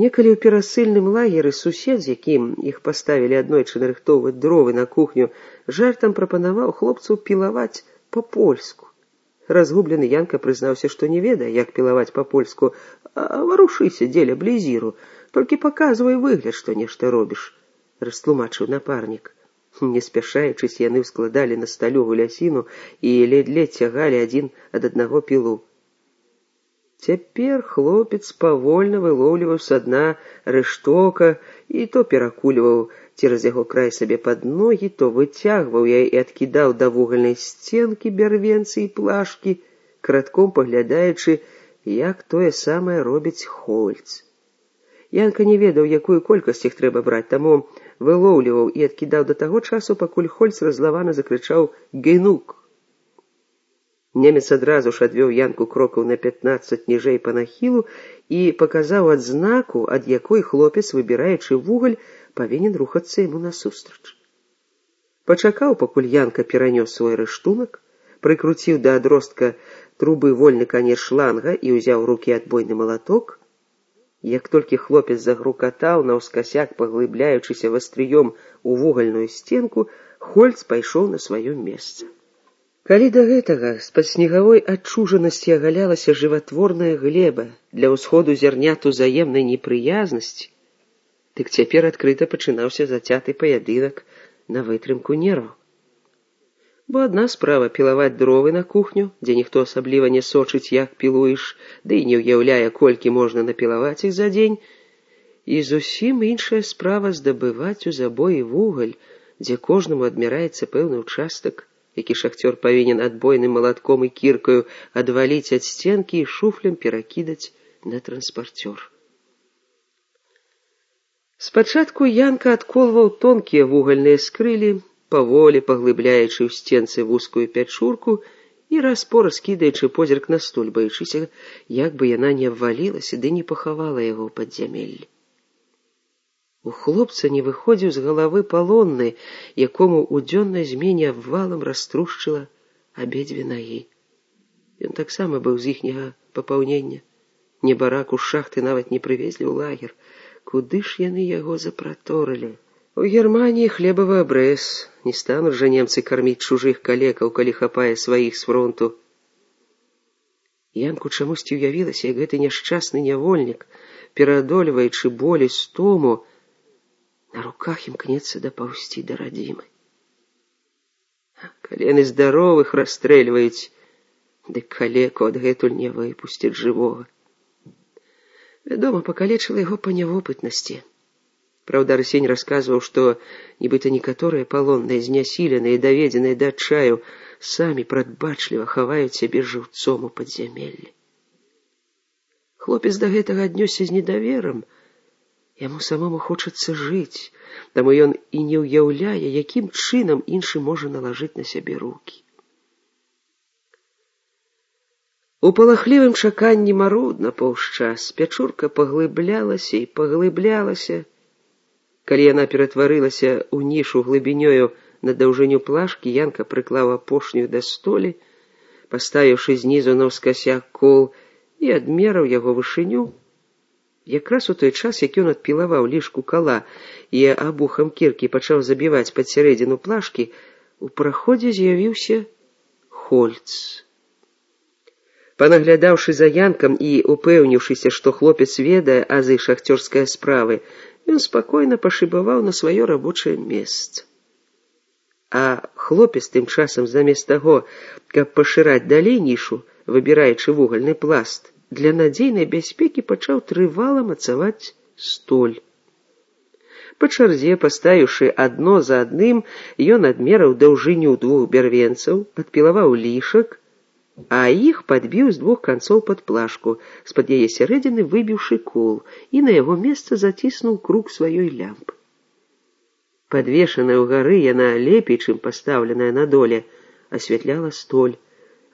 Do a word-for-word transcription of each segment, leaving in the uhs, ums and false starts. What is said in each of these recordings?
Некалі ў перасыльным лагеры сусед, з якім іх паставілі аднойчы нарыхтоўваць дровы на кухню, жартам прапанаваў хлопцу пілаваць па-польску. Разгублены Янка прызнаўся, што не ведае, як пілаваць па-польску. «А варушыся, дзеля блізіру, толькі паказвай выгляд, што нешта робіш», — растлумачыў напарнік. Не спяшаючись, яны ўскладалі на сталю гулясіну і ледь-ледь цягалі адзін ад аднаго пілу. Цяпер хлопец павольна вылоўліваў са дна рэштока і то перакульваў цераз яго край сабе пад ногі, то выцягваў яе і адкідаў да вугальнай сценкі бярвенцы і плашкі, крадком паглядаючы, як тое самае робіць Хольц. Янка не ведаў, якую колькасць іх трэба браць, таму вылоўліваў і адкідаў да таго часу, пакуль Хольц разлавана закрычаў «Генук!». Немец адразу ж адвёў Янку крокаў на пятнаццаць ніжэй па нахілу і паказаў адзнаку, ад якой хлопец, выбіраючы вугаль, павінен рухацца яму насустрач. Пачакаў, пакуль Янка перанёс свой рыштунак, прыкруціў да адростка трубы вольны канец шланга і ўзяў у рукі адбойны малаток. Як толькі хлопец загрукатаў, наўскасяк паглыбляючыся вастрыём у вугальную сценку, Хольц пайшоў на сваё месца. Калі да гэтага з-пад снегавой адчужанасці агалялася жыватворная глеба для ўсходу зярнят узаемнай непрыязнасці, дык цяпер адкрыта пачынаўся зацяты паядынак на вытрымку нерваў. Бо адна справа пілаваць дровы на кухню, дзе ніхто асабліва не сочыць, як пілуеш, ды і не ўяўляе, колькі можна напілаваць іх за дзень, і зусім іншая справа здабываць у забоі вугаль, дзе кожнаму адмяраецца пэўны ўчастак, які шахцёр павінен адбойным малатком і кіркаю адваліць ад сценкі і шуфлем перакідаць на транспарцёр. Спачатку Янка адколваў тонкія вугальныя скрылі, паволі паглыбляючы ў сценцы вузкую пячурку і раз-пораз кідаючы позірк на столь, баючыся, як бы яна не абвалілася ды не пахавала яго ў падзямеллі. У хлопца не выходзіў з галавы палонны, якому ў дзённай змене абвалам раструшчыла абедзве нагі. Ён таксама быў з іхняга папаўнення. Небараку з шахты нават не прывезлі ў лагер. Куды ж яны яго запраторылі? У Германії хлебавы абрэз. Не стануць жа немцы карміць чужых калекаў, калі хапае сваіх з фронту. Янку чамусьці ўявілася, як гэты няшчасны нявольнік, пераадольваючы боль і стому, на руках імкнецца дапаўзці да радзімы. Калі яны здаровых расстрэльваюць, дык калеку адгэтуль не выпусцяць жывога. Вядома, пакалечыла яго па нявопытнасці. Праўда, Арсень расказваў, што нібыта некаторыя палонныя, знясіленыя і даведзеныя да адчаю, самі прадбачліва хаваюць сябе жыўцом у падзямеллі. Хлопец да гэтага аднёсся з недаверам. Яму самому хочацца жыць, таму ён і не ўяўляе, якім чынам іншы можа налажыць на сябе рукі. У палахлівым чаканні марудна паўзчас пячурка паглыблялася і паглыблялася. Калі яна ператварылася ў нішу глыбінёю на даўжыню плашкі, Янка прыклаў апошнюю да столі, паставіўшы знізу наўскасяк кол і адмераў яго вышыню. Якраз у той час, як ён адпілаваў лішку кала і абухам кіркі пачаў забіваць пад сярэдзіну плашкі, у праходзе з'явіўся Хольц. Панаглядаўшы за Янкам і упэўніўшыся, што хлопец ведае азы шахцёрскай справы, ён спакойна пашыбаваў на сваё рабочае месца. А хлопец тым часам замест таго, каб пашыраць далей нішу, выбіраючы вугальны пласт, для надзейнай бяспекі пачаў трывала мацаваць столь. Па чарзе, паставіўшы адно за адным, ён адмераў даўжыню двух бярвенцаў, адпілаваў лішак, а іх падбіў з двух канцоў пад плашку, з-пад яе сярэдзіны выбіўшы кол, і на яго месца заціснуў круг сваёй лямпы. Падвешаная ўгары, яна лепей, чым пастаўленая на доле, асвятляла столь,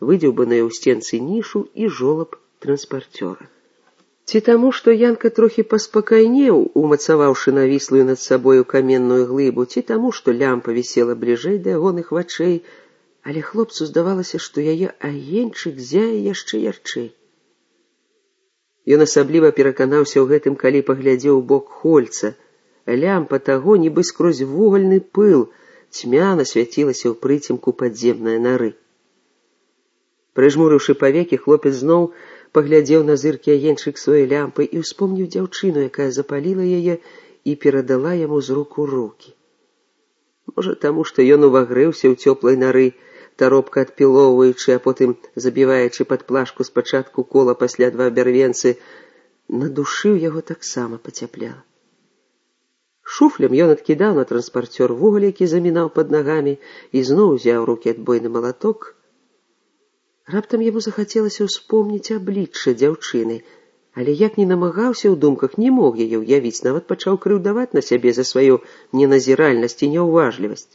выдзеўбаную ў сценцы нішу і жолаб транспарцёра. Ці таму, што Янка трохі паспакайнеў, умацаваўшы навіслую над сабою каменную глыбу, ці таму, што лямпа вісела бліжэй да ягоных вачэй, але хлопцу здавалася, што яе агеньчык зяе яшчэ ярчэй. Ён асабліва пераканаўся ў гэтым, калі паглядзеў у бок Хольца. Лямпа таго, нібы скрозь вугальны пыл, цьмяна свяцілася ў прыцемку падземнай нары. Прыжмурыўшы павекі, хлопец зноў паглядзеў на зыркі агеньчык сваёй лямпы і ўспомніў дзяўчыну, якая запаліла яе і перадала яму з рук у рукі. Можа, таму, што ён увагрэўся ў цёплай нары, таропка адпілоўваючы, а потым забіваючы пад плашку спачатку кола, пасля два бярвенцы, на душы ў яго таксама пацяпляла. Шуфлем ён адкідаў на транспарцёр вугаль, які замінаў пад нагамі, і зноў узяў рукі адбойны малаток. Раптам яму захацелася ўспомніць аблічча дзяўчыны, але як ні намагаўся ў думках, не мог яе ўявіць, нават пачаў крыўдаваць на сябе за сваю неназіральнасць і няўважлівасць.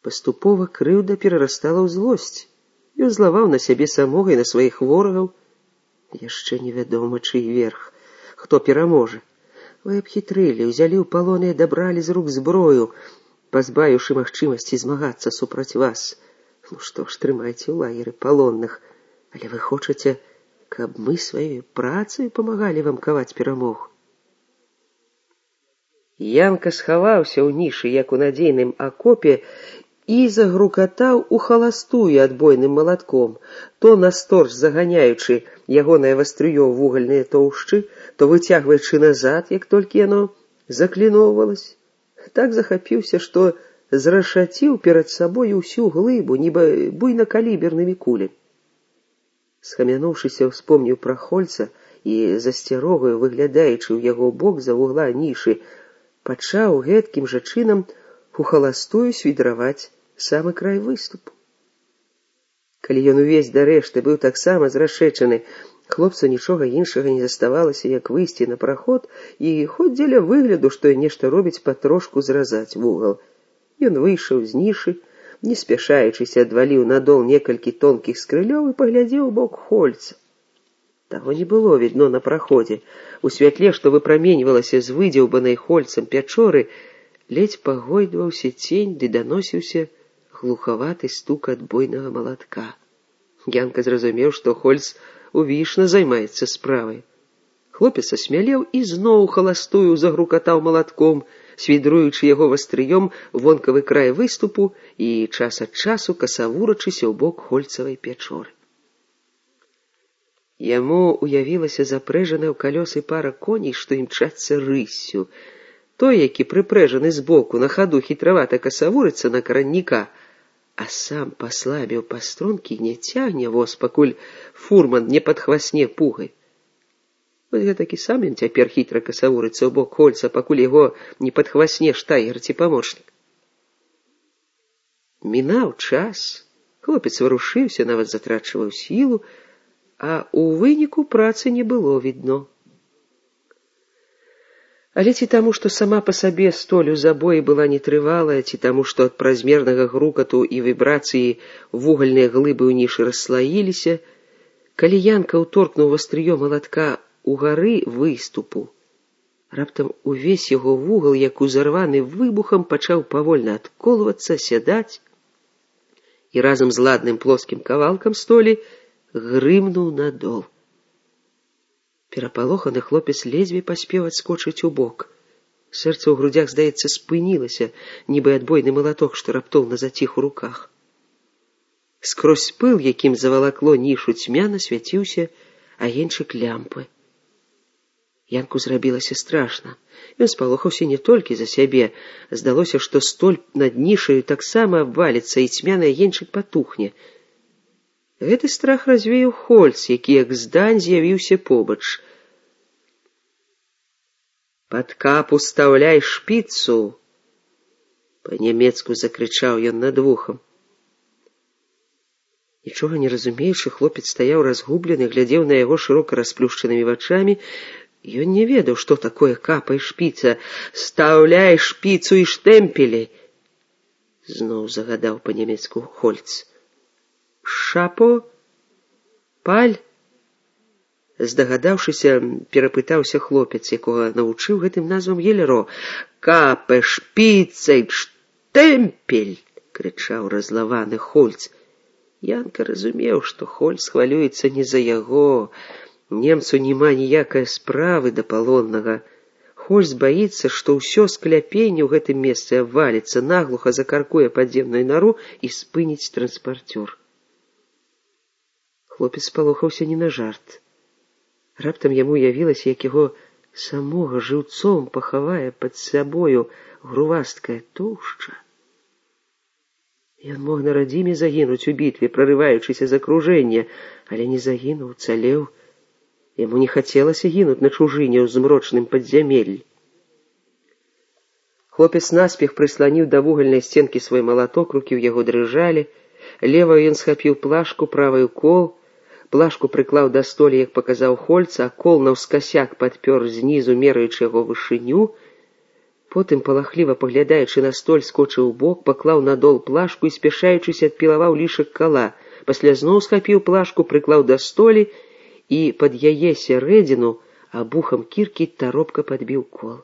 Паступова крыўда перарастала ў злосць. Ён злаваў на сябе самога і на сваіх ворагаў. Яшчэ невядома, чый верх, хто пераможа. Вы абхітрылі, узялі ў палон і адабралі з рук зброю, пазбавіўшы магчымасці змагацца супраць вас. Ну што ж, трымайце ў лагеры палонных, але вы хочаце, каб мы сваёй працай памагалі вам каваць перамогу. Янка схаваўся ў нішы, як у надзейным акопе, і загрукатаў у халастую адбойным малатком, то насторч заганяючы ягонае вастрыё ў вугальныя тоўшчы, то выцягваючы назад, як толькі яно закліноўвалася. Так захапіўся, што зрашаціў перад сабой усю глыбу, нібы буйнакалібернымі кулямі. Схамянуўшыся, успомніў пра Хольца і, засцярогаю выглядаючы ў яго бок за вугла нішы, пачаў гэткім жа чынам у халастую свідраваць самы край выступу. Калі ён увесь да рэшты быў таксама зрашэчаны, хлопцу нічога іншага не заставалася, як выйсці на праход і, хоць дзеля выгляду, што нешта робіць, патрошку зразаць вугал. Ён выйшаў з нішы, не спяшаючыся, адваліў надол некалькі тонкіх скрылёў і паглядзеў у бок Хольца. Таго не было відно на праходзе. У святле, што выпраменьвалася з выдзеўбанай Хольцам пячоры, ледзь пагойдваўся цень, ды даносіўся глухаваты стук адбойнага малатка. Янка зразумеў, што Хольц увішна займаецца справай. Хлопец асмялеў і зноў халастую загрукатаў малатком, свідруючы яго вастрыём вонкавы край выступу і час ад часу касавурачыся ў бок Хольцавай пячоры. Яму уявілася запрэжаная ў калёсы пара коней, што імчацца рыссю. Той, які прыпрэжаны збоку, на хаду хітравата касавурыцца на каранніка, а сам паслабіў пастрункі, не цягне воз, пакуль фурман не падхвасне пугай. Вось гэтакі сам ён цяпер хітра касавурыцца ў бок Хольца, пакуль яго не падхвасне штайгер ці памочнік. Мінаў час, хлопец варушыўся, нават затрачваў сілу, а ў выніку працы не было відно. Але ці таму, што сама па сабе столь у забоі была нетрывалая, ці таму, што ад празмернага грукату і вібрацыі вугальныя глыбы ў нішы расслаіліся, калі Янка ўторкнуў вастрыё малатка у гары выступу, раптам увесь яго вугал, як узарваны выбухам, пачаў павольна адколвацца, сядаць, і разам з ладным плоскім кавалкам столі грымнуў надол. Перапалоханы хлопец ледзьве паспеў адскочыць у бок. Сэрца ў грудзях, здаецца, спынілася, нібы адбойны малаток, што раптоўна заціх у руках. Скрозь пыл, якім завалакло нішу цьмяна, свяціўся агеньчык лямпы. Янку зрабілася страшна. Ён спалохаўся не толькі за сябе. Здалося, што столь над нішаю таксама абваліцца, і цьмяны агеньчык патухне. Гэты страх развеяў Хольц, які як здань з'явіўся побач. «Пад капу стаўляй шпіцу!» Па-нямецку закрычаў ён над вухам. Нічога не разумеючы, хлопец стаяў разгублены, глядзеў на яго шырока расплюшчанымі вачамі. Ён не ведаў, што такое капа і шпіца. «Стаўляй шпіцу і штэмпелі!» Зноў загадаў па-нямецку Хольц. «Шапо? Паль?» Здагадаўшыся, перапытаўся хлопец, якога навучыў гэтым назвам Гелеро. «Капе, шпіцай, штэмпель!» — крычаў разлаваны Хольц. Янка разумеў, што Хольц хвалюецца не за яго. Немцу няма ніякай справы да палоннага. Хоць збаіцца, што ўсё скляпенне ў гэтым месцы абваліцца, наглуха закаркуе падземную нару і спыніць транспартёр. Хлопец спалохаўся не на жарт. Раптам яму явілася, як яго самога жыўцом пахавае пад сабою грувасткая тоўшча. Ён мог на радзіме загінуць у бітве, прарываючыся з акружэння, але не загінуў, цалеў. Яму не хацелася гінуць на чужыне ў змрочным падзямеллі. Хлопец наспех прысланіў да вугальнай сценкі свой малаток, рукі ў яго дрыжалі. Леваю ён схапіў плашку, праваю кол. Плашку прыклаў да столі, як паказаў Хольца, а кол наўскасяк падпёр знізу, мераючы яго вышыню. Потым, палахліва паглядаючы на столь, скочыў у бок, паклаў на дол плашку і, спяшаючыся, адпілаваў лішак кала. Пасля зноў схапіў плашку, прыклаў да столі і пад яе сярэдзіну абухам кіркі таропка падбіў кол.